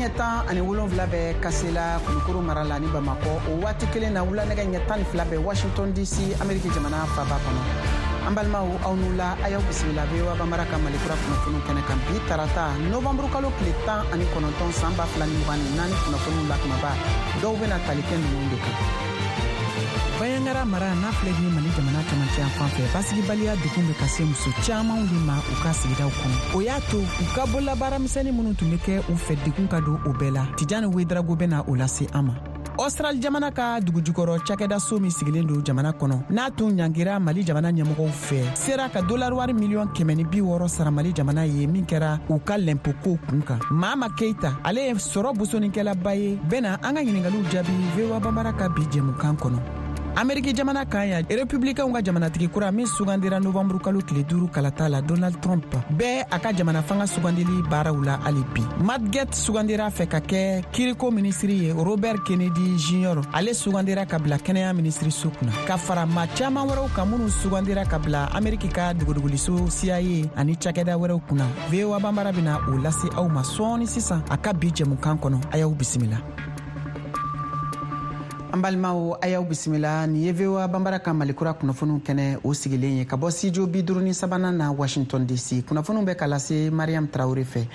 ɲɛ 17 bɛ Kasela, Kulukoro mara la ni Bamakɔ. O waati kelen na, wulanɛgɛ ɲɛ 12 bɛ Washington DC, Ameriki jamana faba kɔnɔ. An balimaw, aw ni wula, a y'aw bisimila VOA Banbara ka Malikura kunnafoniw kɛnɛ kan bi tarata, novanburu kalo tile 19, san 2024 kunnafoniw la, kumaba dɔw bɛna tali kɛ ninnu de kan. Banjagara mara n'a filɛ ni Mali jamana camancɛ fan fɛ, basigibaliya degun bɛ ka se muso camanw de ma u ka sigidaw kɔnɔ. O y'a to u ka bololabaara misɛnnin minnu tun bɛ kɛ u fɛ, degun ka don o bɛɛ la. Tijani Wedrago bɛna o lase an ma. Australie jamana ka dugujukɔrɔ cakɛdaso min sigilen don jamana kɔnɔ, n'a tun ɲangira Mali jamana ɲɛmɔgɔw fɛ, sera ka dolari wari miliyɔn 160 sara Mali jamana ye, min kɛra u ka lɛnpoko kun kan. Maama Keita, ale ye sɔrɔ bosonikɛlaba ye, bɛna an ka ɲiningaliw jaabi VOA Banbara ka bi jɛmukan kɔnɔ. Ameriki jamana kan yan, Republicainw ka jamanatigi kura min sugandira novanburu kalo tile 5 kalata la, Donald Trump, bɛ a ka jamana fanga sugandili baaraw la hali bi. Matt Gaetz sugandira fɛ ka kɛ kiriko minisiri ye. Robert Kennedy Jr, ale sugandira ka bila kɛnɛya minisiriso kunna, ka fara maa caaman wɛrɛw kan minnu sugandira ka bila Ameriki ka dogodogoliko CIA ani cakɛda wɛrɛw kunna. VOA Banbara bena o lase aw ma sɔɔni sisan a ka bi jɛmukan kɔnɔ. A y'aw bisimila. An balimaw, a y'aw bisimila. Nin ye VOA Banbara ka Malikura kunnafoniw kɛnɛ o sigilen ye ka bɔ studio 53nan na, Washington DC. Kunnafoniw bɛ ka lase Mariam Tarawure fɛ.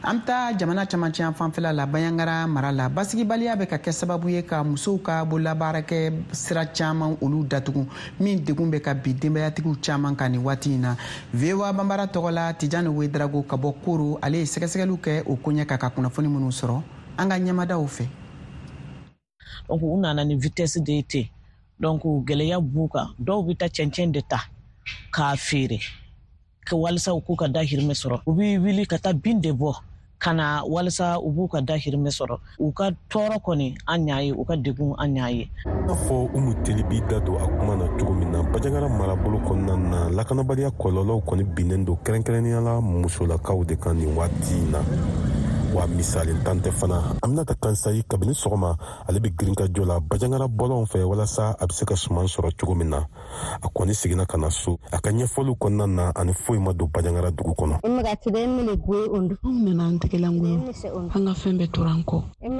An bɛ taa jamana camancɛ fanfɛla la, Banjagara mara la. Basigibaliya bɛ ka kɛ sababu ye ka musow ka bololabaarakɛ sira caman olu datugu, min degun bɛ ka bi denbayatigiw caman kan nin waati in na. VOA Banbara tɔgɔ la, Tijani Wedrago ka bɔ Koro, ale ye sɛgɛsɛgɛliw kɛ o koɲɛ kan ka kunnafoni minnu sɔrɔ an ka ɲɛmadaw fɛ. Donc u nana ni vitesse de ye ten. Donc gɛlɛya b'u kan. Dɔw bɛ taa cɛncɛn de ta k'a feere walisa u k'u ka dahirimɛ sɔrɔ. U bɛ wuli ka taa bin de bɔ ka na walisa u b'u ka dahirimɛ sɔrɔ. U ka tɔɔrɔ kɔni, an y'a ye, u ka degun, an y'a ye. N'a fɔ Umu Teli b'i da don a kuma na cogo min na, Banjagara marabolo kɔnɔna na, lakanabaliya kɔlɔlɔw kɔni binnen don kɛrɛnkɛrɛnnenya la musolakaw de kan nin waati in na. Wa misali tan tɛ fana. Aminata Kansayi, kabini sɔgɔma ale bɛ girinkajɔ la Banjagara bɔlɔnw fɛ walasa a bɛ se ka suman sɔrɔ cogo min na. A kɔni seginna ka na so. A ka ɲɛfɔliw kɔnɔna na, ani foyi ma don Banjagara dugu kɔnɔ. Anw nana an tɛgɛlankolon, an ka fɛn bɛɛ tora an kɔ. An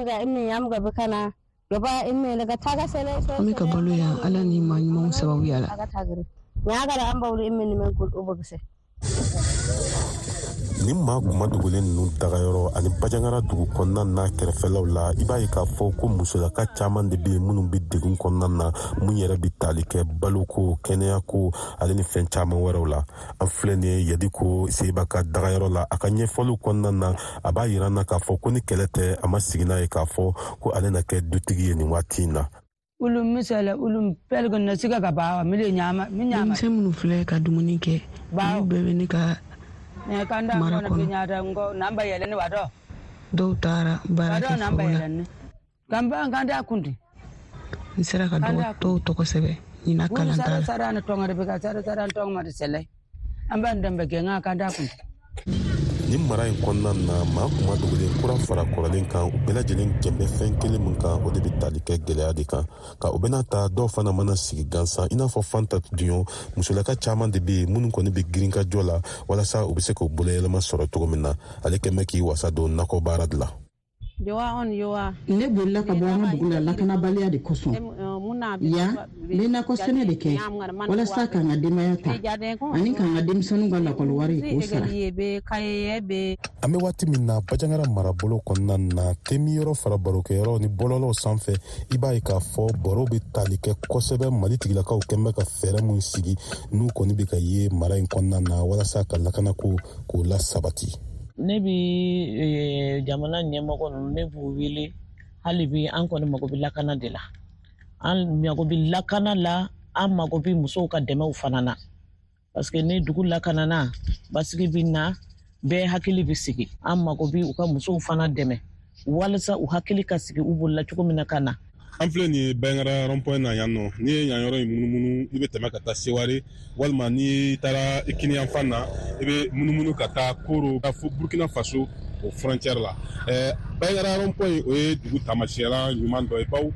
bɛ ka balo yan Ala ni maa ɲumanw sababuya la. Ni maa kuma dogolen ninnu dagayɔrɔ ani Banjagara dugu kɔnɔna n'a kɛrɛfɛlaw la, i b'a ye k'a fɔ ko musolaka caman de bɛ yen minnu bɛ degun kɔnɔna na, mun yɛrɛ bɛ tali kɛ baloko, kɛnɛyako ale ni fɛn caman wɛrɛw la. An filɛ nin ye Yadiko Seba ka dagayɔrɔ la. A ka ɲɛfɔliw kɔnɔna na, a b'a yira na k'a fɔ ko ni kɛlɛ tɛ, a ma sigi n'a ye k'a fɔ ko ale na kɛ dutigi ye nin waati in na. Denmisɛn minnu filɛ ka dumuni kɛ, olu bɛɛ bɛ ne ka mara kɔnɔ. Dɔw taara baara kɛ foro la. N sera ka dɔw tɔgɔ sɛbɛn ɲinan kalanta la. Nin mara in kɔnɔna na, maa kuma dogolen kura fara kɔrɔlen kan, u bɛɛ lajɛlen jɛn bɛ fɛn kelen min kan, o de bɛ tali kɛ gɛlɛya de kan. Ka o bɛna ta, dɔw fana mana sigi gansan, i n'a fɔ Fanta Duɲɔ. Musolaka caman de bɛ yen minnu kɔni bɛ girinkajɔ la walasa u bɛ se k'u boloyɛlɛma sɔrɔ cogo min na. Ale kɛn bɛ k'i wasa don nakɔ baara de la. Ne bolila ka bɔ an ka dugu la lakanabaliya de kosɔn. Yan, n bɛ nakɔ sɛnɛ de kɛ walasa k'an ka denbaya ta ani k'an ka denmisɛnninw ka lakɔli wari k'o sara. An bɛ waati min na, Banjagara marabolo kɔnɔna na, temiyɔrɔ fara barokɛyɔrɔ ni bɔlɔlɔw sanfɛ, i b'a ye k'a fɔ baro bɛ tali kɛ kosɛbɛ Mali tigilakaw kɛn bɛ ka fɛɛrɛ min sigi n'u kɔni bɛ ka ye mara in kɔnɔna na walasa ka lakanako k'o lasabati. Ne bi jamana ɲɛmɔgɔ ninnu, ne b'u wele hali bi. An kɔni mago bɛ lakana de la, an mago bɛ lakana la, an mago bɛ musow ka dɛmɛw fana na, parce que ni dugu lakanana, basigi bɛ na, bɛɛ hakili bɛ sigi. An mago bɛ u ka musow fana dɛmɛ walasa u hakili ka sigi u bolila cogo min na ka na. An filɛ nin ye Banjagara rond-point na yan nɔ. N'i ye yan yɔrɔ in munumunu, i bɛ tɛmɛ ka taa Seware, walima n'i taara i kiniyanfan na, i bɛ munumunu ka taa Koro fo Burkina Faso o frontière la. Banjagara rond-point, o ye dugu taamasiyɛnla ɲuman dɔ ye, bawo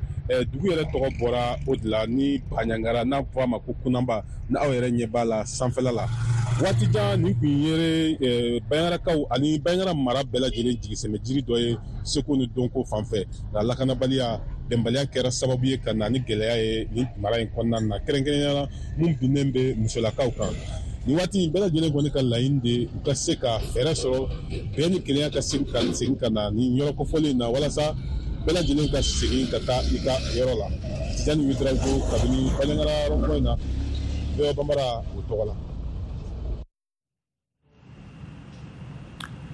dugu yɛrɛ tɔgɔ bɔra o de la ni Banjagara, n'a fɔ a ma ko Kunanba. Ni aw yɛrɛ ɲɛ b'a la sanfɛla la, Waati jan nin kun ye Bandiagarakaw ani Bandiagara mara bɛɛ lajɛlen jigisɛmɛ jiri dɔ ye seko ni dɔnko fan fɛ, nka lakanabaliya, bɛnbaliya kɛra sababu ye ka na ni gɛlɛya ye nin mara in kɔnɔna na, kɛrɛnkɛrɛnnenya la mun binnen bɛ musolakaw kan. Nin waati in bɛɛ lajɛlen kɔni ka laɲini de u ka se ka fɛɛrɛ sɔrɔ bɛn ni kelenya ka se ka segin ka na nin yɔrɔ kofɔlen in na, walasa bɛɛ lajɛlen ka segin ka taa i ka yɔrɔ la. Tijani Ouedraogo kabini Bandiagara rond-point na, VOA Bambara o tɔgɔ la.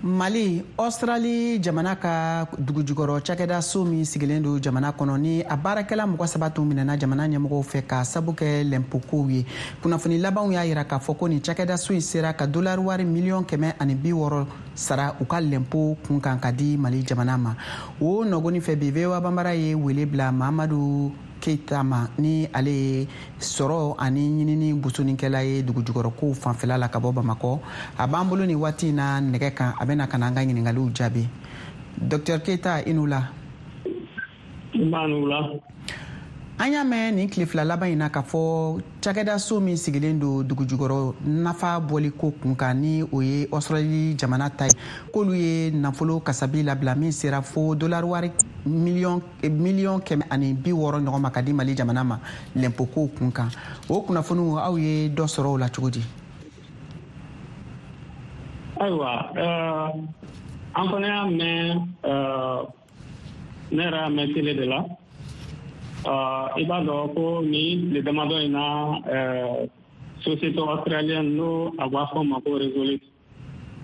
Mali, Australie jamana ka dugujukɔrɔ cakɛda so min sigilen don jamana kɔnɔ ni a baarakɛla 3 tun minɛna jamana ɲɛmɔgɔw fɛ ka sabu kɛ lɛnpokow ye. Kunnafoni labanw y'a yira k'a fɔ ko nin cakɛda so in sera ka dolari wari 160 million sara u ka lɛnpo kun kan ka di Mali jamana ma. O nɔgɔni fɛ bi, VOA Bambara ye wele bila Mamadu Keita ma, ni ale ye sɔrɔ ani ɲinini busonikɛla ye dugujukɔrɔkow fanfɛla la ka bɔ Bamakɔ. A b'an bolo nin waati in na nɛgɛ kan, a bɛna ka na an ka ɲiningaliw jaabi. Dr Keita, i n'u la. An y'a mɛn nin tile 2 laban in na k'a fɔ cakɛdaso min sigilen don dugujukɔrɔ nafa bɔliko kun kan, ni o ye Australie jamana ta ye, k'olu ye nafolo kasabi labila min sera fo dolari wari 160 million ɲɔgɔn ma ka di Mali jamana ma lɛnpokow kun kan. O kunnafoniw, aw ye dɔ sɔrɔ o la cogo di? Ayiwa, an fana y'a mɛn, ne yɛrɛ y'a mɛn télé de la. I b'a dɔn ko ni tile damadɔ in na, société australienne, n'o a b'a fɔ ma ko Resolute,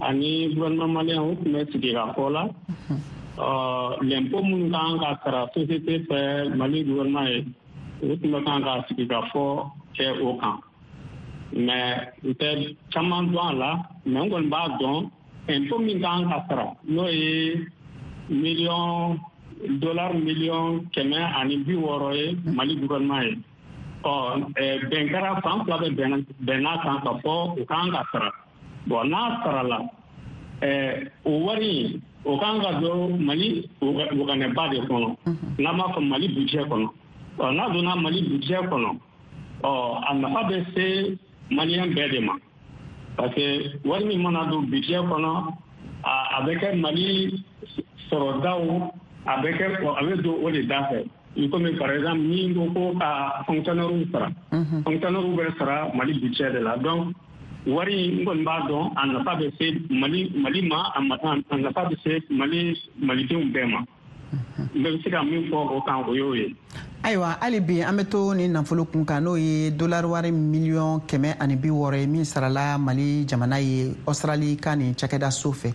ani gouvernement malien, o tun bɛ sigi ka fɔ la l'impôt minnu kan ka sara société fɛ Mali gouvernement ye, o tun bɛ kan ka sigi ka fɔ kɛ o kan. Mais n tɛ caman dɔn a la, mais n kɔni b'a dɔn impôt min kan ka sara, n'o ye miliyɔn dollar 160 million ye Mali gouvernement ye. Ɔ bɛn kɛra, fan fila bɛ bɛnna kan ka fɔ o kan ka sara. Bon, n'a sarala, o wari in, o kan ka don Mali waganɛba de kɔnɔ, n'an b'a fɔ Mali budget kɔnɔ. Ɔ n'a donna Mali budget kɔnɔ, ɔ a nafa bɛ se malien bɛɛ de ma, parce que wari min mana don budget kɔnɔ, a bɛ kɛ Mali sɔrɔdaw, a bɛ kɛ, a bɛ don o de da fɛ. I komi par exemple ni ko ko ka fonctionnaire sara, fonctionnaire bɛ sara Mali budget de la. Donc wari n kɔni b'a dɔn, a nafa bɛ se Mali ma, a nafa bɛ se Mali malidenw bɛɛ ma. N bɛ se ka min fɔ o kan, o y'o ye. Ayiwa, hali bi an bɛ to nin nafolo kun kan, n'o ye dolari wari 160 million ye min sarala Mali jamana ye Australie ka nin cakɛda so fɛ.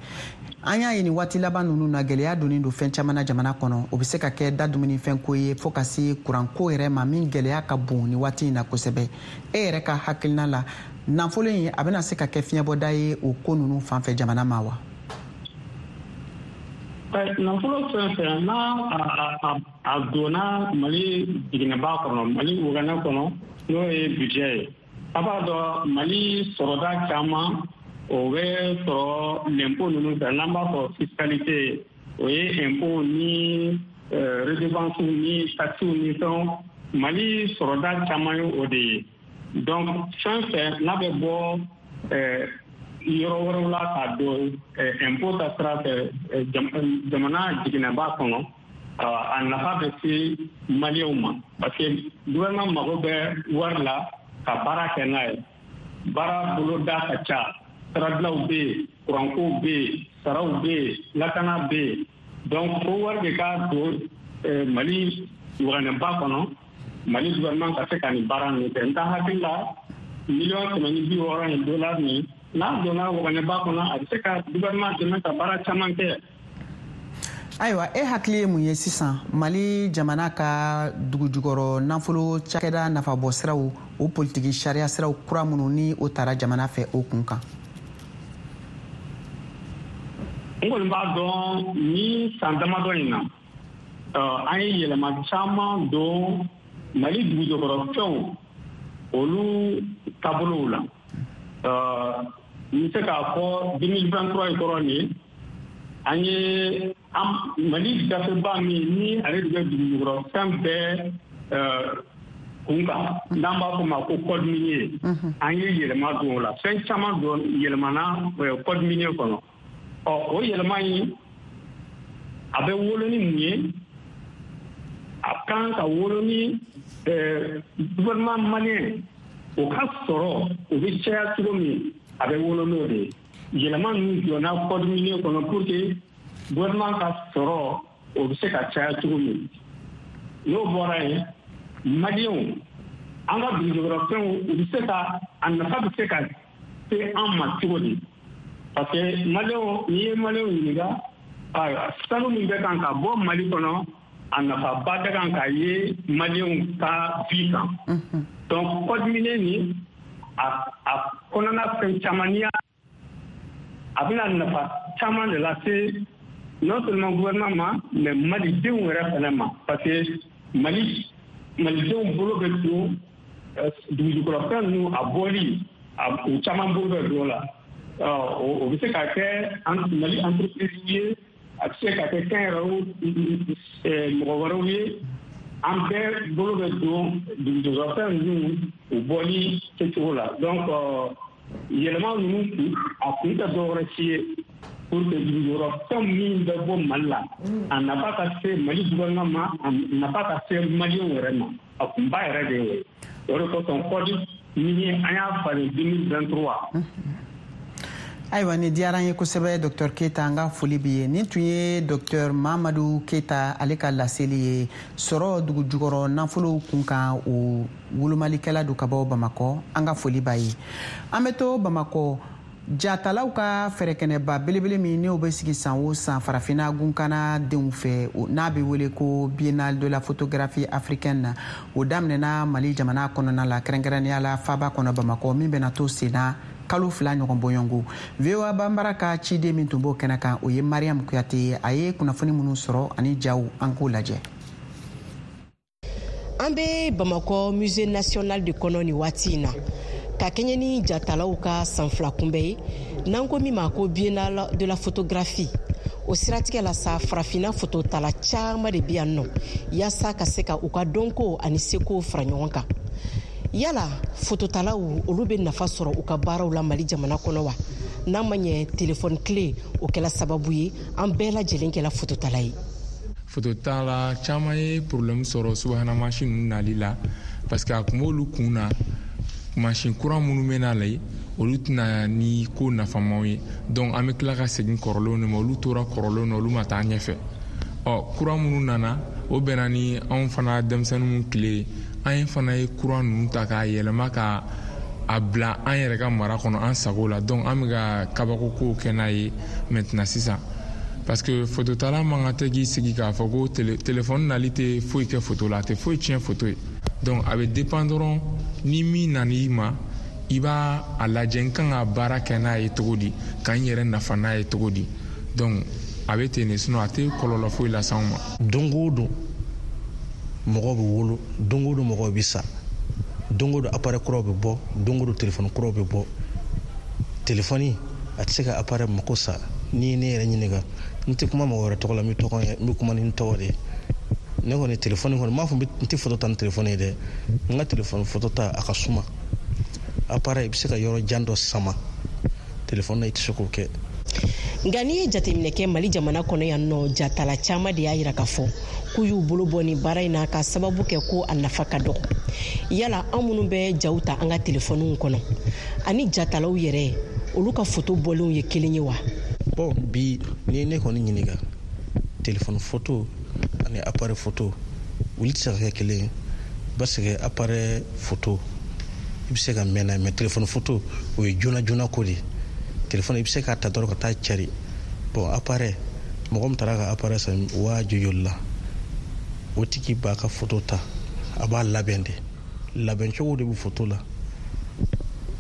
An y'a ye nin waati laban ninnu na, gɛlɛya donnen don fɛn caman na jamana kɔnɔ. O bɛ se ka kɛ da dumunifɛnko ye fɔɔ ka se kuranko yɛrɛ ma, min gɛlɛya ka bon nin waati in na kosɛbɛ. E yɛrɛ ka hakilina la, nafolo in a bɛna se ka kɛ fiɲɛbɔda ye o ko ninnu fan fɛ jamana ma wa? Nafolo fɛn fɛn n'a a donna Mali jiginɛba kɔnɔ, Mali waganɛ kɔnɔ, n'o ye budget ye, a b'a dɔn Mali sɔrɔda caman o bɛ sɔrɔ l'impôt ninnu fɛ, n'an b'a fɔ fiscalité, o ye impôt ni redevance ni taxes ni fɛnw. Mali sɔrɔda caman ye o de ye. Donc fɛn fɛn n'a bɛ bɔ yɔrɔ wɛrɛw la ka don impôt ta sira fɛ jamana jiginɛba kɔnɔ, a nafa bɛ se maliyɛnw ma, parce que gouvernement mago bɛ wari la ka baara kɛ n'a ye. Baara boloda ka ca, siradilaw bɛ yen, kurankow bɛ yen, saraw bɛ yen, lakana bɛ yen. Donc fo wari de ka don Mali waganɛba kɔnɔ, Mali gouvernement ka se ka nin baara ninnu kɛ. N ka hakili la, 160 million in dollar nin, n'a donna waganɛba kɔnɔ, a bɛ se ka gouvernement dɛmɛ ka baara caman kɛ. Ayiwa, e hakili ye mun ye sisan Mali jamana ka dugujukɔrɔ nafolo cakɛda nafabɔ siraw, o politiki sariya siraw kura minnu ni o tara jamana fɛ, o kun kan? N kɔni b'a dɔn ni san damadɔ in na, an ye yɛlɛma caman don Mali dugujukɔrɔfɛnw olu taabolow la. N bɛ se k'a fɔ 2023 in kɔrɔ nin, an ye Mali gafeba min ni ale de bɛ dugujukɔrɔfɛn bɛɛ kun kan, n'an b'a fɔ ma ko code minier, an ye yɛlɛma don o la. Fɛn caman don yɛlɛmana code minier kɔnɔ. Ɔ, o yɛlɛma in, a bɛ wolo ni mun ye? A kan ka wolo ni gouvernement malien o ka sɔrɔ o bɛ caya cogo min, a bɛ wolo n'o de ye. Yɛlɛma ninnu donna code minier kɔnɔ pour que gouvernement ka sɔrɔ o bɛ se ka caya cogo min. N'o bɔra yen, maliyɛnw, an ka dugujukɔrɔfɛnw, u bɛ se ka a nafa bɛ se ka se an ma cogo di? Parce que maliyɛnw, n'i ye maliyɛnw ɲininka, ayiwa, sanu min bɛ kan ka bɔ Mali kɔnɔ, a nafaba bɛ kan ka ye maliyɛnw ka vie kan. Donc code minier nin, a kɔnɔna fɛn caman, n'i y'a, a bɛna nafa caman de lase non seulement gouvernement ma, mais malidenw yɛrɛ fana ma, parce que Mali malidenw bolo bɛ don dugujukɔrɔfɛn ninnu a bɔli, u caman bolo bɛ don o la. O bɛ se ka kɛ Mali entreprise ye, a bɛ se ka kɛ kɛnyɛrɛye mɔgɔ wɛrɛw ye. An bɛɛ bolo bɛ don dugujukɔrɔfɛn ninnu u bɔli kɛcogo la. Donc yɛlɛma ninnu kun, a kun tɛ dɔwɛrɛ si ye pour que dugujukɔrɔfɛn min bɛ bɔ Mali la, a nafa ka se Mali gouvernement ma, a nafa ka se maliyɛnw yɛrɛ ma. A kunba yɛrɛ de ye o ye. O de kosɔn code minier, an y'a falen 2023. Ayiwa, nin diyara an ye kosɛbɛ, Dr Keyita, an ka foli b'i ye. Nin tun ye Dr Mamadu Keyita, ale ka laseli ye sɔrɔ dugujukɔrɔ nafolow kun kan, o wolomalikɛla don ka bɔ Bamakɔ. An ka foli b'a ye. An bɛ to Bamakɔ. Jatalaw ka fɛrɛkɛnɛba belebele min n'o bɛ sigi san o san Farafinna gunkana denw fɛ, n'a bɛ wele ko Biennale de la photographie africaine, o daminɛna Mali jamana kɔnɔna la, kɛrɛnkɛrɛnnenya la faba kɔnɔ Bamakɔ, min bɛna to senna kalo 2 ɲɔgɔn bɔɲɔgɔnko. VOA Banbara ka ciden min tun b'o kɛnɛ kan, o ye Mariam Kuyate ye. A ye kunnafoni minnu sɔrɔ ani jaw, an k'o lajɛ. An bɛ Bamakɔ Musée national de kɔnɔ nin waati in na, ka kɛɲɛ ni jatalaw ka san 2 kunbɛ ye, n'an ko min ma ko Biennale de la photographie. O siratigɛ la sa, farafinna fototala caman de bɛ yan nɔ yaasa ka se ka u ka dɔnko ani seko fara ɲɔgɔn kan. Yala fototalaw olu bɛ nafa sɔrɔ u ka baaraw la Mali jamana kɔnɔ wa? N'a ma ɲɛ telefɔni tile o kɛla sababu ye an bɛɛ lajɛlen kɛla fototala ye. Fototala caman ye problème sɔrɔ subahana mansin ninnu nali la, parce que a kun b'olu kun na, mansin kura minnu bɛ na la, olu tɛna ni ko nafamaw ye. Donc an bɛ tila ka segin kɔrɔlenw de ma. Olu tora kɔrɔlenw na, olu ma taa ɲɛfɛ. Ɔ, kura minnu nana, o bɛnna ni anw fana denmisɛnninw tile ye. An ye fana ye kura ninnu ta k'a yɛlɛma ka a bila an yɛrɛ ka mara kɔnɔ an sago la. Donc an bɛ ka kabako kow kɛ n'a ye maintenant sisan, parce que fototala man kan tɛ k'i sigi k'a fɔ ko téléphone nali tɛ foyi kɛ foto la, a tɛ foyi tiɲɛ foto ye. Donc a bɛ dépend dɔrɔn ni min nan'i ma, i b'a a lajɛ n kan ka baara kɛ n'a ye cogo di, ka n yɛrɛ nafa n'a ye cogo di. Donc a bɛ ten de, sinon a tɛ kɔlɔlɔ foyi lase anw ma. Don o don mɔgɔw bɛ wolo, don o don mɔgɔw bɛ sa, don o don appareil kuraw bɛ bɔ, don o don téléphone kuraw bɛ bɔ. Téléphone a tɛ se ka appareil mako sa. N'i ye ne yɛrɛ ɲininka, n tɛ kuma mɔgɔ wɛrɛ tɔgɔ la, n bɛ tɔgɔ n bɛ kuma ni n tɔgɔ de ye. Ne kɔni téléphone kɔni, n m'a fɔ n tɛ photo ta ni téléphone ye dɛ. N ka téléphone photo ta a ka suma. Appareil, i bɛ se ka yɔrɔ jan dɔ sama, téléphone na i tɛ se k'o kɛ. Nka n'i ye jateminɛ kɛ Mali jamana kɔnɔ yan nɔ, jatala caman de y'a yira k'a fɔ k'u y'u bolo bɔ nin baara in na ka sababu kɛ ko a nafa ka dɔgɔ. Yala an minnu bɛ jaw ta an ka telefɔniw kɔnɔ ani jatalaw yɛrɛ, olu ka foto bɔlenw ye kelen ye wa? Bon, bi n'i ye ne kɔni ɲininka, telefɔni foto ani appareil photo olu tɛ se ka kɛ kelen ye, parce que appareil photo i bɛ se ka mɛn n'a ye, mais telefɔni photo o ye joona joona ko de ye. Telefɔni i bɛ se k'a ta dɔrɔn ka taa cari. Bon, appareil, mɔgɔ min taara ka appareil san waa joli la, o tigi b'a ka photo ta, a b'a labɛn de, labɛn cogo de bɛ photo la.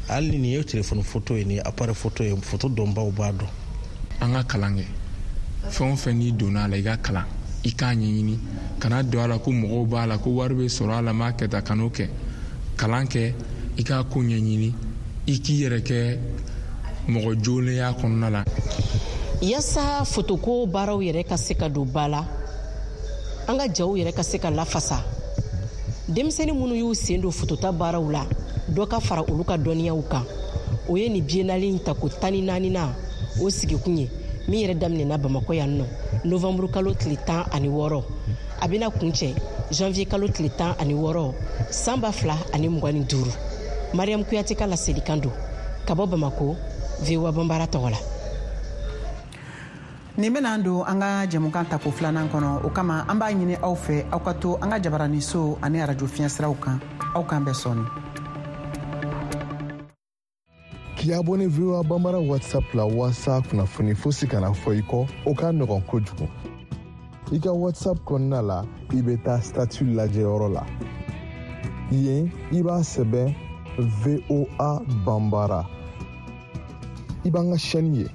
Hali ni nin ye telefɔni photo ye, nin ye appareil photo ye, photo dɔnbaw b'a dɔn. An ka kalan kɛ. Fɛn o fɛn n'i donna a la, i ka kalan, i k'a ɲɛɲini, kana don a la ko mɔgɔw b'a la, ko wari bɛ sɔrɔ a la, m'a kɛ tan, kan'o kɛ. Kalan kɛ, i k'a ko ɲɛɲini, i k'i yɛrɛ kɛ mɔgɔ jolenya kɔnɔna la. Yaasa fotoko baaraw yɛrɛ ka se ka don ba la, an ka jaw yɛrɛ ka se ka lafasa. Denmisɛnnin minnu y'u sen don fotota baaraw la, dɔ ka fara olu ka dɔnniyaw kan. O ye nin biennale in tako 14nan o sigikun ye, min yɛrɛ daminɛna Bamakɔ yan nɔ novanburu kalo tile 16, a bɛna kuncɛ janvier kalo tile 16 san 2025. Mariam Kuyate ka laselikan don ka bɔ Bamakɔ, VOA Banbara tɔgɔ la. Nin bɛna don an ka jɛmukan tako filanan kɔnɔ. O kama, an b'a ɲini aw fɛ, aw ka to an ka jabaraniso ani arajo fiɲɛsiraw kan. Aw k'an bɛn sɔɔni. K'i abonné VOA Bambara WhatsApp la waasa kunnafoni fosi kana fɔ i kɔ, o ka nɔgɔn kojugu. I ka WhatsApp kɔnɔna la, i bɛ taa statut lajɛyɔrɔ la. Yen, i b'a sɛbɛn VOA Bambara. I b'an ka chaîne ye.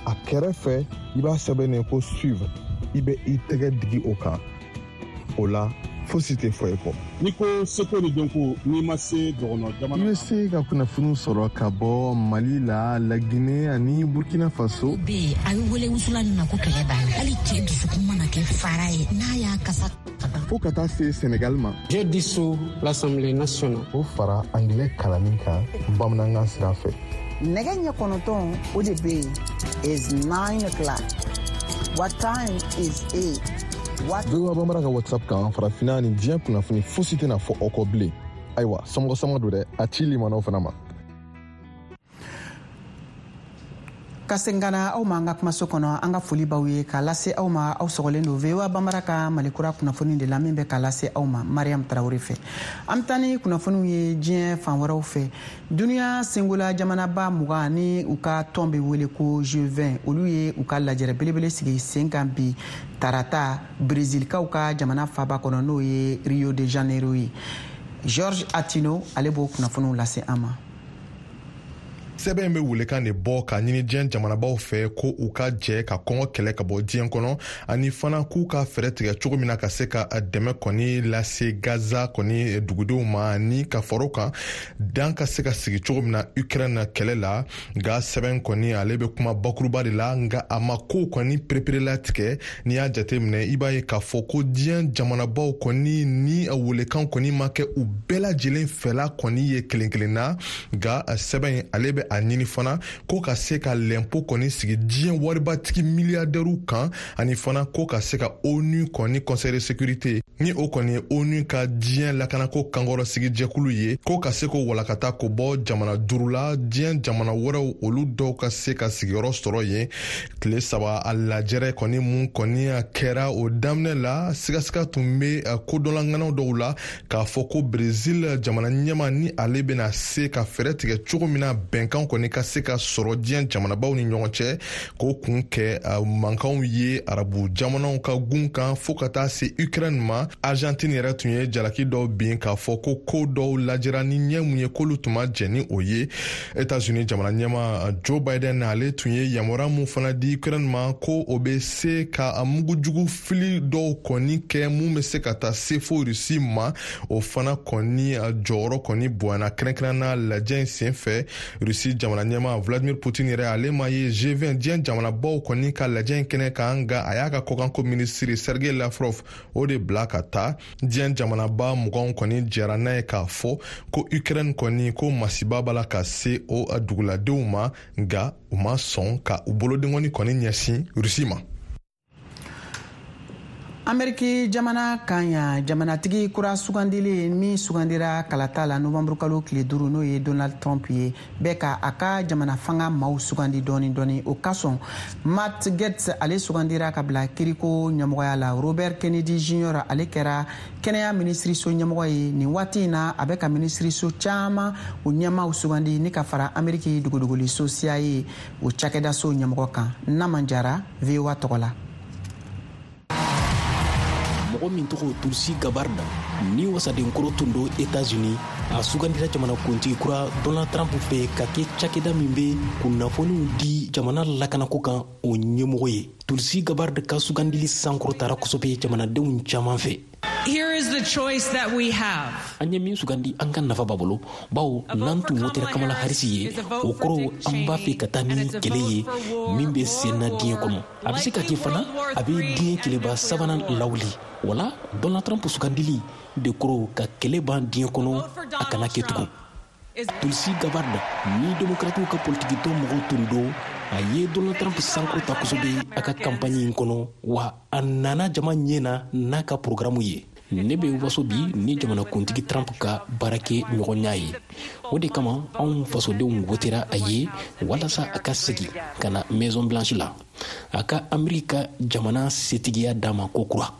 A kɛrɛfɛ, i b'a sɛbɛnnen ko suivre. I bɛ i tɛgɛ digi o kan. O la, fosi tɛ fɔ i kɔ. N'i ko seko ni dɔnko, n'i ma se dɔgɔnɔ jamana I bɛ se ka kunnafoniw sɔrɔ ka bɔ Mali la, Laginɛ ani Burkina Faso. Bɛ yen, a bɛ wele wusulan nin ma ko kɛlɛ b'a la. Hali cɛ dusukun mana kɛ fara ye, n'a y'a kasa fo ka taa se Senegal ma. J'ai dissous l'Assemblée nationale. O fara angilɛ kalanni kan bamanankan sira fɛ. Nɛgɛ ɲɛ 9, o de bɛ yen, is 9 o'clock. What time is it? What VOA Bambara ka WhatsApp kan, farafinna ni diɲɛ kunnafoni fosi tɛna fɔ aw kɔ bilen. Ayiwa, somɔgɔ sama don dɛ, a ci limanaw fana ma. Ka segin ka na aw ma an ka kumaso kɔnɔ, an ka foli b'aw ye k'a lase aw ma. Aw sɔgɔlen don VOA Banbara ka Malikura kunnafoni de la, min bɛ k'a lase aw ma Mariam Tarawele fɛ. An bɛ taa ni kunnafoniw ye diɲɛ fan wɛrɛw fɛ. Duniya sengola jamanaba 20 ni u ka tɔn bɛ wele ko G20, olu ye u ka lajɛrɛ belebele sigi sen kan bi tarata, Brezilikaw ka jamana faba kɔnɔ, n'o ye Rio de Janeiro ye. George Atino, ale b'o kunnafoniw lase an ma. Sɛbɛn bɛ welekan de bɔ ka ɲini diɲɛ jamanabaw fɛ ko u ka jɛ ka kɔngɔ kɛlɛ ka bɔ diɲɛ kɔnɔ, ani fana k'u ka fɛɛrɛ tigɛ cogo min na ka se ka dɛmɛ kɔni lase Gaza kɔni dugudenw ma, ani ka fara o kan, dan ka se ka sigi cogo min na Ukraine kɛlɛ la. Nka sɛbɛn kɔni, ale bɛ kuma bakuruba de la, nka a ma ko kɔni pereperelatigɛ. N'i y'a jateminɛ, i b'a ye k'a fɔ ko diɲɛ jamanabaw kɔni ni welekan kɔni ma kɛ u bɛɛ lajɛlen fɛla kɔni ye kelen kelen na. Nka sɛbɛn, ale bɛ a ɲini fana ko ka se ka lɛnpo kɔni sigi diɲɛ waribatigi miliyardɛriw kan, ani fana ko ka se ka ONU kɔni Conseil de sécurité, ni o kɔni ye ONU ka diɲɛ lakanako kankɔrɔsigi jɛkulu ye, ko ka se k'o walakata k'o bɔ jamana duuru la, diɲɛ jamana wɛrɛw, olu dɔw ka se ka sigiyɔrɔ sɔrɔ yen. Tile 3 a lajɛrɛ kɔni mun kɔni kɛra, o daminɛ la, sigasiga tun bɛ kodɔnlaŋanaw dɔw la k'a fɔ ko Brezil jamana ɲɛma ni ale bɛna se ka fɛɛrɛ tigɛ cogo min na bɛnkan kɔni ka se ka sɔrɔ diɲɛ jamanabaw ni ɲɔgɔn cɛ, k'o kun kɛ mankanw ye arabu jamanaw ka gun kan fo ka taa se Ukraine ma. Argentine yɛrɛ tun ye jalaki dɔw bin k'a fɔ ko ko dɔw lajɛra ni ɲɛ mun ye, k'olu tun ma jɛn ni o ye. Etats-Unis jamana ɲɛma Joe Biden, ale tun ye yamaruya mun fana di Ukraine ma ko o bɛ se ka mugujugu fili dɔw kɔni kɛ mun bɛ se ka taa se fo Rusi ma, o fana kɔni jɔyɔrɔ kɔni bonyana, kɛrɛnkɛrɛnna lajɛ in sen fɛ. Rusi jamana ɲɛma Vladimir Putin yɛrɛ, ale ma ye G20 diɲɛ jamanabaw kɔni ka lajɛ in kɛnɛ kan, nka a y'a ka kɔkanko minisiri Sergei Lavrov o de bila ka taa. Diɲɛ jamanaba 20 kɔni jɛra n'a ye k'a fɔ ko Ukraine kɔni, ko masiba b'a la ka se o duguladenw ma, nka u ma sɔn ka u bolodenkɔni kɔni ɲɛsin Rusi ma. Ameriki jamana kan yan, jamanatigi kura sugandilen min sugandira kalata la novanburu kalo tile 5, n'o ye Donald Trump ye, bɛ ka a ka jamana fanga maaw sugandi dɔɔni dɔɔni. O kasɔn, Matt Gaetz, ale sugandira ka bila kiriko ɲɛmɔgɔya la. Robert Kennedy Jr, ale kɛra kɛnɛya minisiriso ɲɛmɔgɔ ye. Nin waati in na, a bɛ ka minisiriso caman o ɲɛmaw sugandi ni ka fara Ameriki dogodogoliso CIA o cakɛdaso ɲɛmɔgɔ kan. Naman Jara, VOA tɔgɔ la. Mɔgɔ min tɔgɔ Tulsi Gabbard, ni wasadenkɔrɔ tun don Etats-Unis, a sugandira jamanakuntigi kura Donald Trump fɛ ka kɛ cakɛda min bɛ kunnafoniw di jamana lakanako kan, o ɲɛmɔgɔ ye. Tulsi Gabbard ka sugandili sankɔrɔtara kosɛbɛ jamanadenw caman fɛ. Here is the choice that we have. An ye min sugandi, an ka nafa b'a bolo, bawo n'an tun wotera Kamala Harris ye, o kɔrɔ an b'a fɛ ka taa ni kɛlɛ ye min bɛ sen na diɲɛ kɔnɔ. A bɛ se ka kɛ fana a bɛ diɲɛ kɛlɛba sabanan lawuli. Wala Donald Trump sugandili de kɔrɔ ka kɛlɛ ban diɲɛ kɔnɔ, a kana kɛ tugun. Tulsi Gabbard ni Demokratiw ka politikitɔn mɔgɔw tun don, a ye Donald Trump sankɔrɔta kosɛbɛ a ka kanpaɲi in kɔnɔ, wa a nana jama ɲɛ na n'a ka porogaramu ye. Ne bɛ waso bi ni jamanakuntigi Trump ka baarakɛ ɲɔgɔnya ye. O de kama anw fasodenw wotera a ye walasa a ka segin ka na Maison Blanche la, a ka Ameriki ka jamana setigiya d'a ma kokura.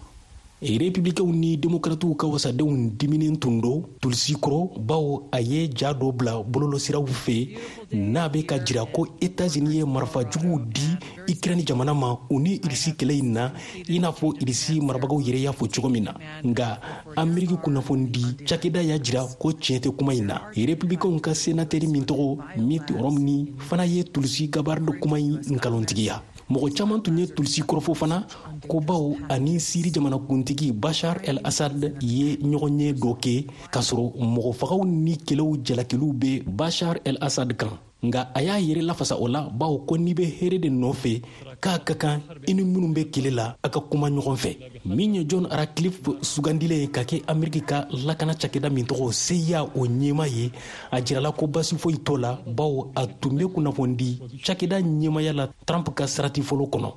Republicainw ni Demokratiw ka wasadenw diminen tun don Tulsi kɔrɔ, bawo a ye ja dɔ bila bɔlɔlɔsiraw fɛ n'a bɛ ka jira ko Etats-Unis ye marifa juguw di Ukraine jamana ma u ni Irisi kɛlɛ in na, i n'a fɔ Irisi marabagaw yɛrɛ y'a fɔ cogo min na. Nka Ameriki kunnafonidi cakɛda y'a jira ko tiɲɛ tɛ kuma in na. Republicainw ka senatɛri min tɔgɔ Mitt Romney fana ye Tulsi Gabbard kuma in nkalontigiya. Mɔgɔ caman tun ye Tulsi kɔrɔfɔ fana ko bawo ani Siri jamanakuntigi Bashar el Assad ye ɲɔgɔnye dɔ kɛ, k'a sɔrɔ mɔgɔfagaw ni kɛlɛw jalakiliw bɛ Bashar el Assad kan. Nka a y'a yɛrɛ lafasa o la, bawo ko n'i bɛ hɛrɛ de nɔfɛ, k'a ka kan i ni minnu bɛ kɛlɛ la, a ka kuma ɲɔgɔn fɛ. Min ye John Ratcliffe sugandilen ye ka kɛ Ameriki ka lakana cakɛda min tɔgɔ CIA o ɲɛmaa ye, a jirala ko basi foyi t'o la, bawo a tun bɛ kunnafonidi cakɛda ɲɛmaaya la Trump ka sarati fɔlɔ kɔnɔ.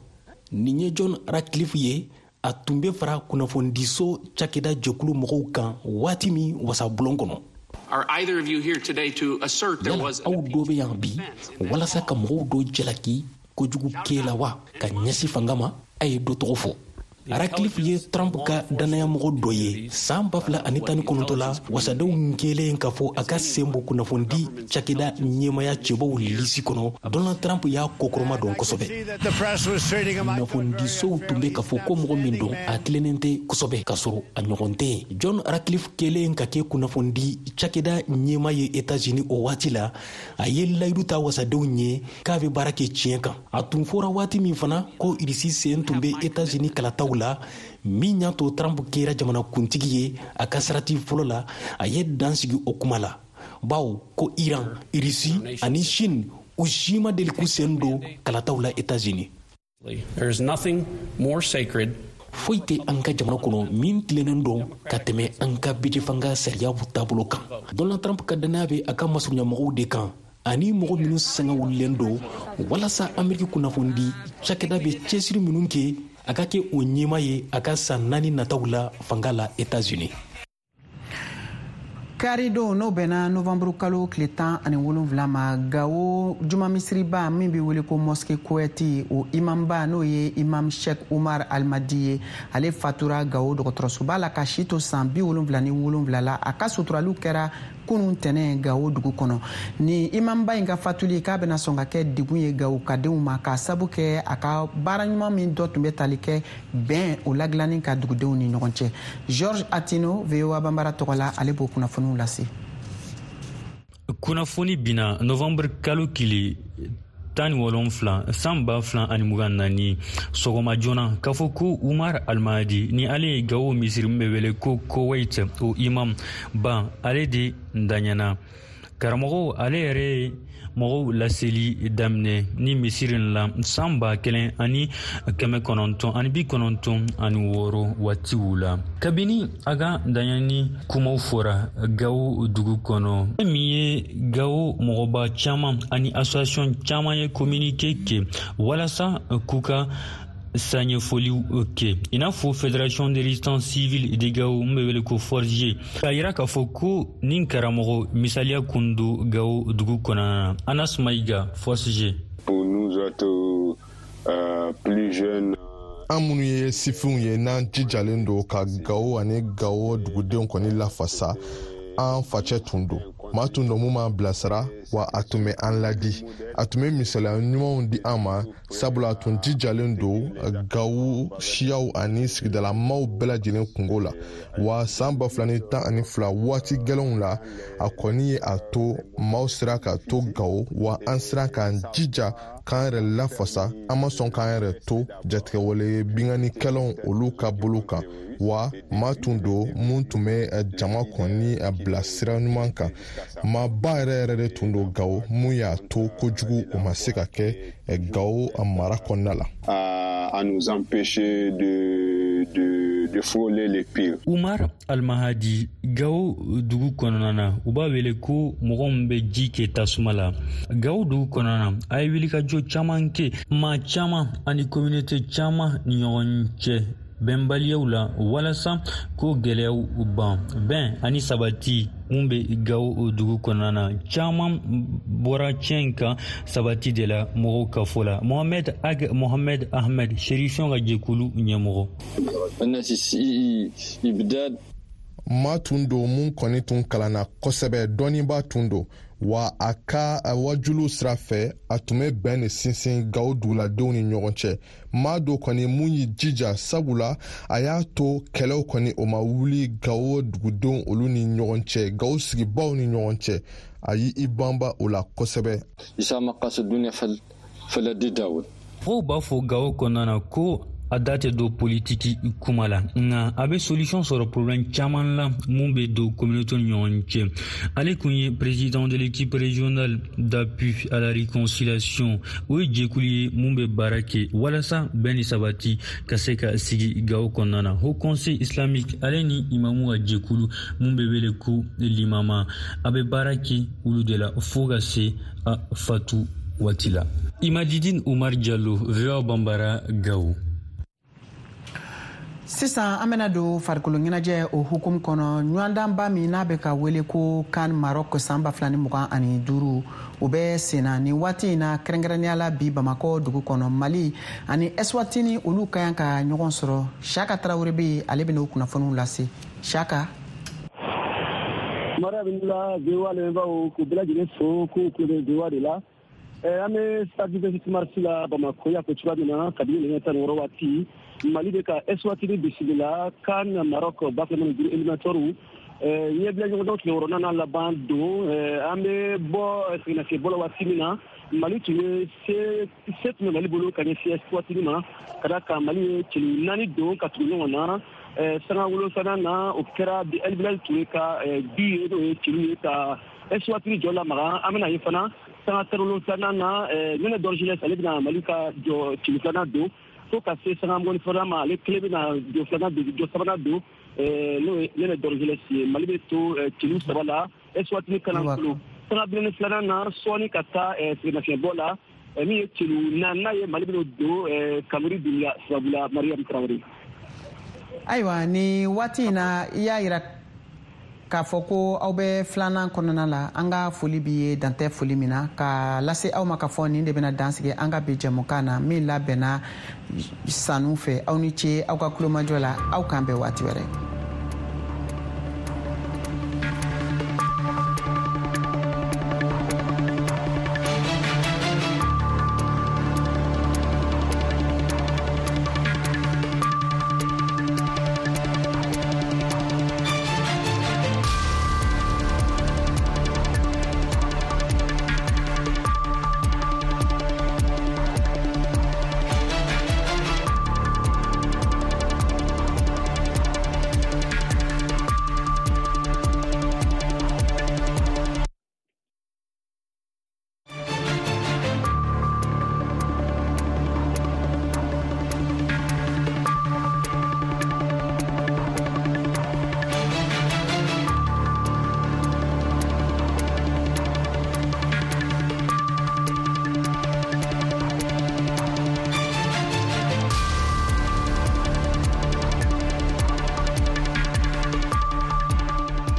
Nin ye John Ratcliffe ye, a tun bɛ fara kunnafonidiso cakɛda jɛkulu mɔgɔw kan waati min wasabulon kɔnɔ. Yala aw dɔ bɛ yan bi walasa ka mɔgɔw dɔ jalaki kojugu kɛ la wa ka ɲɛsin fanga ma? A ye dɔ tɔgɔ fɔ. Ratcliffe ye Trump ka dannayamɔgɔ dɔ ye. San 2019 la, wasadenw kɛlen k'a fɔ a ka sen bɔ kunnafonidi cakɛda ɲɛmaya cɛbɔw lisi kɔnɔ, Donald Trump y'a kɔkɔrɔma don kosɛbɛ. Kunnafonidisow tun bɛ k'a fɔ ko mɔgɔ min don, a tilennen tɛ kosɛbɛ, k'a sɔrɔ a ɲɔgɔn tɛ yen. John Ratcliffe kɛlen ka kɛ kunnafonidi cakɛda ɲɛma ye États-Unis o waati la, a ye layidu ta wasadenw ye k'a bɛ baara kɛ tiɲɛ kan. A tun fɔra waati min fana ko Irisi sen tun bɛ États-Unis kalataw la, min y'a to Trump kɛra jamanakuntigi ye a ka sarati fɔlɔ la, a ye dan sigi o kuma la, bawo ko Iran, Irisi ani Chine, u si ma deli k'u sen don kalataw la États-Unis. There is nothing more sacred. Foyi tɛ an ka jamana kɔnɔ min tilennen don ka tɛmɛ an ka bɛjɛfanga sariyaw taabolo kan. Donald Trump ka dannaya bɛ a ka masurunyamɔgɔw de kan ani mɔgɔ minnu sanga wulilen don walasa Ameriki kunnafonidi cakɛda bɛ cɛsiri minnu kɛ, a ka kɛ o ɲɛmaa ye a ka san 4 nataw la fanga la États-Unis. Karidon, n'o bɛnna novanburu kalo tile 17 ma, Gawo juma misiriba min bɛ wele ko mosquée Koweït, o imamba n'o ye imam Sheikh Umar Almadi ye, ale fatura Gawo dɔgɔtɔrɔsoba la ka si to san 77 la. A ka suturaliw kɛra kunun tɛnɛ Gawo dugu kɔnɔ. Ni imamba in ka fatuli k'a bɛna sɔn ka kɛ degun ye Gawo kadenw ma, k'a sabu kɛ a ka baara ɲuman min dɔ tun bɛ tali kɛ bɛn o ladilanni ka dugudenw ni ɲɔgɔn cɛ. George Atino, VOA Bambara tɔgɔ la, ale b'o kunnafoniw lase. Kunnafoni binna novembre kalo tile 17 san 2024 sɔgɔma joona k'a fɔ ko Umar Almahdi ni ale ye Gawo misiri min bɛ wele ko Koweït o imam ba, ale de daɲɛna. Karamɔgɔw, ale yɛrɛ ye mɔgɔw laseli daminɛ ni misiri in la san 1996 waatiw la. Kabini a ka daɲɛni kumaw fɔra Gawo dugu kɔnɔ, fɛn min ye Gawo mɔgɔba caman ani association caman ye communiqué kɛ walasa k'u ka saɲɛfɔliw kɛ, i n'a fɔ Fédération de résistance civile de Gao min bɛ wele ko Forge, k'a yira k'a fɔ ko nin karamɔgɔ misaliya kun don Gao dugu kɔnɔna na. Anas Maïga, Force G. Pour nous autres, plus jeunes, an minnu ye sifinw ye, n'an jijalen don ka Gawo ani Gawo dugudenw kɔni lafasa, an facɛ tun don, maa tun don mun b'an bilasira, wa a tun bɛ an ladi, a tun bɛ misaliya ɲumanw di an ma, sabula a tun jijalen don Gawo siyaw ani sigidalamaw bɛɛ lajɛlen kungo la. Wa san 2012 waati gɛlɛnw la, a kɔni ye a to maaw sera ka to Gawo, wa an sera k'an jija k'an yɛrɛ lafasa. An ma sɔn k'an yɛrɛ to jatigɛwale binkannikɛlaw olu ka bolo kan. Wa maa tun don mun tun bɛ jama kɔni bila sira ɲuman kan. Maaba yɛrɛ yɛrɛ de tun don Gawo, mun y'a to kojugu o ma se ka kɛ Gawo mara kɔnɔna la. À nous empêcher de frôler le pire. Umar Almahadi, Gawo dugu kɔnɔna na, u b'a wele ko mɔgɔ min bɛ ji kɛ tasuma la. Gawo dugu kɔnɔna na, a ye wulikajɔ caman kɛ, maa caman ani communauté caman ni ɲɔgɔn cɛ bɛnbaliyaw la walasa ko gɛlɛyaw ban. Bɛn ani sabati mun bɛ Gawo dugu kɔnɔna na, caman bɔra tiɲɛ kan sabati de la mɔgɔw ka fɔ la. Mohamed Ag Mohamed Ahmed, Chérifiyɛnw ka jɛkulu ɲɛmɔgɔ. Maa tun don mun kɔni tun kalanna kosɛbɛ, dɔnnibaa tun don, wa a ka wajuliw sira fɛ a tun bɛ bɛn de sinsin Gawo duguladenw ni ɲɔgɔn cɛ. Maa dɔ kɔni mun y'i jija, sabula a y'a to kɛlɛw kɔni o ma wuli Gawo dugudenw olu ni ɲɔgɔn cɛ, Gawo sigibaw ni ɲɔgɔn cɛ. A y'i banba o la kosɛbɛ. Mɔgɔw b'a fɔ Gawo kɔnɔna na ko a da tɛ don politiki kuma la, nka a bɛ solution sɔrɔ problème caman la mun bɛ don communauté ni ɲɔgɔn cɛ. Ale kun ye président de l'équipe régionale d'appui à la réconciliation, o ye jɛkulu ye mun bɛ baara kɛ walasa bɛn ni sabati ka se ka sigi Gawo kɔnɔna na. Haut Conseil islamique, ale ni imamu ka jɛkulu mun bɛ wele ko limama, a bɛ baara kɛ olu de la fo ka se a fatu waati la. Imadidine Umar Diallo, VOA Bambara, Gawo. Sisan an bɛna don farikolo ɲɛnajɛ o hukumu kɔnɔ. Ɲɔgɔndanba min n'a bɛ ka wele ko CAN Maroc san 2025, o bɛ senna nin waati in na, kɛrɛnkɛrɛnnenya la bi Bamakɔ dugu kɔnɔ. Mali ani Eswatini, olu ka kan ka ɲɔgɔn sɔrɔ. Siyaka Tarawele bɛ yen, ale bɛna o kunnafoniw lase. Siyaka. Mara la, VOA lamɛnbaaw, k'u bɛɛ lajɛlen fo k'u tulo bɛ VOA de la. An bɛ stade 26 mars la Bamakɔ. Y'a fɔ cogoya min na, kabini nɛgɛ 16 waati, Mali bɛ ka Eswatini bisimila CAN Maroc 2025 éliminatoires ɲɛbila ɲɔgɔndɔn tile wɔɔrɔnan n'a laban don. An bɛ bɔ sɛgɛnnafiɲɛbɔ la waati min na, Mali tun ye se, se tun bɛ Mali bolo ka ɲɛsin Eswatini ma, ka d'a kan Mali ye celu naani don ka tugu ɲɔgɔn na. Sanga wolonfilanan na, o kɛra El Bilal Toure ka but ye, n'o ye celu ye ka Eswatini jɔ lamaga. An bɛna ye fana sanga 17nan na, Nɛnɛ Dorgelès, ale bɛna Mali ka jɔ celu filanan don, fo ka se sanga 22nan ma, ale kelen bɛna jɔ filanan don, jɔ sabanan don, n'o ye Nɛnɛ Dorgelès ye. Mali bɛ to celu saba la, Eswatini kalan sanga 42nan na, sɔɔni ka taa sɛgɛnnafiɲɛbɔ la, min ye celu naaninan ye, Mali bɛna don Kamori Dunbiya sababu la. Mariam Tarawele. Ayiwa, ni waati in na, i y'a yira k'a fɔ ko aw bɛ filanan kɔnɔna la. An ka foli b'i ye, dantɛ foli min na ka lase aw ma ka fɔ nin de bɛna dansigi an ka bi jɛmukan na min labɛnna Sanu fɛ. Aw ni ce aw ka kulomajɔ la. Aw k'an bɛn waati wɛrɛ.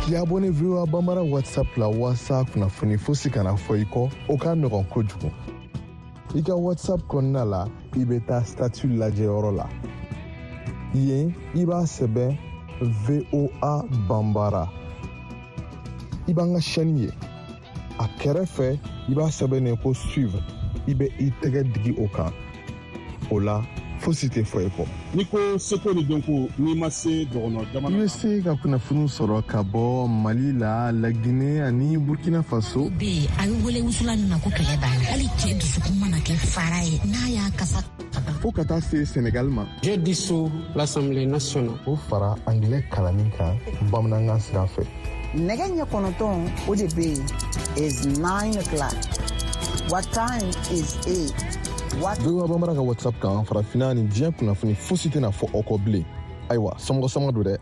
K'i abonné VOA Bambara WhatsApp la waasa kunnafoni fosi kana fɔ i kɔ, o ka nɔgɔn kojugu. I ka WhatsApp kɔnɔna la, i bɛ taa statut lajɛyɔrɔ la. Yen, i b'a sɛbɛn VOA Bambara. I b'an ka chaîne ye. A kɛrɛfɛ, i b'a sɛbɛn ko suivre. I bɛ i tɛgɛ digi o kan. O la, fosi tɛ fɔ i kɔ. N'i ko seko ni dɔnko, n'i ma se dɔgɔnɔ jamana I bɛ se ka kunnafoniw sɔrɔ ka bɔ Mali la, Laginɛ ani Burkina Faso. Bɛ yen, a bɛ wele wusulan min ma ko kɛlɛ banna. Hali cɛ dusukun mana kɛ fara ye, n'a y'a kasa ka ban. Fo ka taa se Senegal ma. J'ai dissous l'Assemblée nationale. O fara angilɛ kalanni kan bamanankan sira fɛ. Nɛgɛ ɲɛ 9, o de bɛ yen, is 9 o'clock. What time is it? What VOA Bambara ka WhatsApp kan, farafinna ni diɲɛ kunnafoni fosi tɛna fɔ aw kɔ bilen. Ayiwa, sɔmɔgɔ sɔmɔgɔ don dɛ.